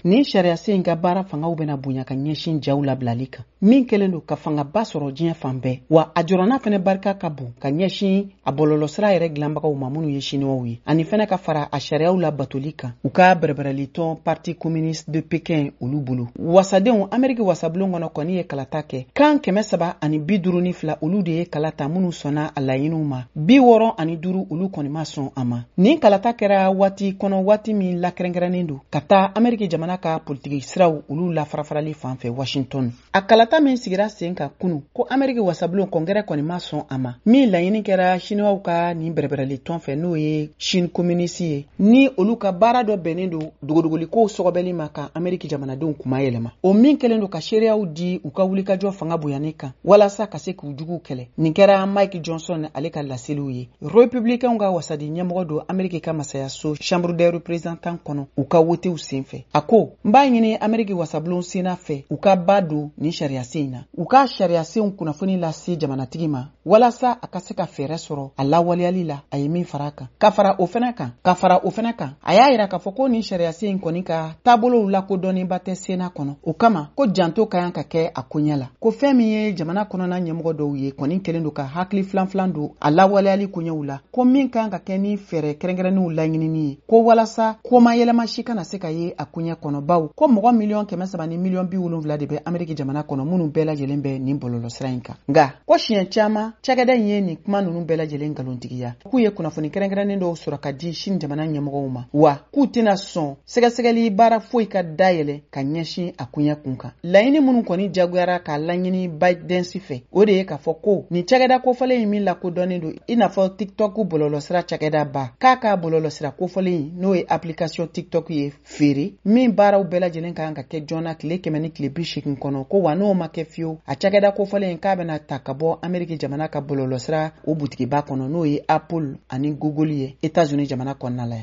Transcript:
Nin sariyasen in ka baara fangaw bɛna bonya ka ɲɛsin jaw labilali kan, min kɛlen don ka fangaba sɔrɔ diɲɛ fan bɛɛ, wa a jɔrɔna fɛnɛ barika ka bon ka ɲɛsin a bɔlɔlɔsira yɛrɛ dilanbagaw ma minnu ye Siniwaw ye, ani fɛnɛ ka fara a sariyaw labatoli kan u ka bɛrɛbɛrɛlitɔn Parti communiste de Pékin olu bolo. Wasadenw Ameriki wasabulon kɔnɔ kɔni ye kalata kɛ. Kan 352, olu de ye kala ta minnu sɔnna a laɲiniw ma, 65, olu kɔni ma sɔn a ma. Nin kalata kɛra waati kɔnɔ, waati min lakɛrɛnkɛrɛnnen don ka taa Ameriki jamana ka politiki siraw olu lafarafarali fan fɛ Washington. A kalata min sigira sen kan kunu ko Ameriki wasabulon Congrès kɔni ma sɔn a ma, min laɲini kɛra Siniwaw ka nin bɛrɛbɛrɛli tɔn fɛ, n'o ye Chine communiste ye, ni olu ka baara dɔ bɛnnen don dogodogoliko sɔgɔbɛli ma ka Ameriki jamanadenw kuma yɛlɛma, o min kɛlen don ka seereyaw di u ka wulikajɔ fanga bonyani kan walasa ka se k'u juguw kɛlɛ. Nin kɛra Mike Johnson ale ka laseliw ye, Républicainw ka wasadi ɲɛmɔgɔ don Ameriki ka masayaso Chambre des représentants kɔnɔ, u ka wotew senfɛ. A ko: "N b'a ɲini Ameriki wasabulon Sénat fɛ, u ka ba don nin sariyasen in na, u ka sariyasenw kunnafoni lase jamanatigi ma walasa a ka se ka fɛɛrɛ sɔrɔ a lawaleyali la." A ye min fara kan, ka fara o fɛnɛ kan, a y'a yira k'a fɔ ko nin sariyasen in kɔni ka taabolow lakodɔnnenba tɛ Sénat kɔnɔ. O kama ko janto ka kan ka kɛ a koɲɛ la, ko fɛn min ye jamana kɔnɔna ɲɛmɔgɔ dɔw ye kɔni kɛlen don ka hakili filan filan don a lawaleyali koɲɛw la, ko min kan ka kɛ ni fɛɛrɛ kɛrɛnkɛrɛnnenw laɲinini ye, ko walasa koma yɛlɛma si kana se ka ye a koɲɛ kɔnɔ, baw ko mɔgɔ 370.000.000 de bɛ Ameriki jamana kɔnɔ minnu bɛɛ lajɛlen bɛ nin bɔlɔlɔsira in kan. Nka ko siɲɛ caman cakɛda in ye nin kuma ninnu bɛɛ lajɛlen nkalontigiya, k'u ye kunnafoni kɛrɛnkɛrɛnnen dɔw sɔrɔ ka di Sini jamana ɲɛmɔgɔw ma, wa k'u tɛna sɔn sɛgɛsɛgɛli baara foyi ka dayɛlɛ ka ɲɛsin a koɲɛ kun kan. Laɲini minnu kɔni jagoyara k'a laɲini ByteDance fɛ, o de ye k'a fɔ ko nin cakɛda kofɔlen in min lakodɔnnen don i n'a fɔ TikTok bɔlɔlɔsira cakɛda ba, k'a ka bɔlɔlɔsira kofɔlen in, n'o ye application TikTok ye, feere min baaraw bɛɛ lajɛlen kan ka kɛ joona tile 180 kɔnɔ, ko wa n'o ma kɛ fiyewu, a cakɛda kofɔlen in k'a bɛna ta ka bɔ Ameriki jamana ka bɔlɔlɔsira o butigiba kɔnɔ, n'o ye Apple ani Google ye Etats-Unis jamana kɔnɔna la yan.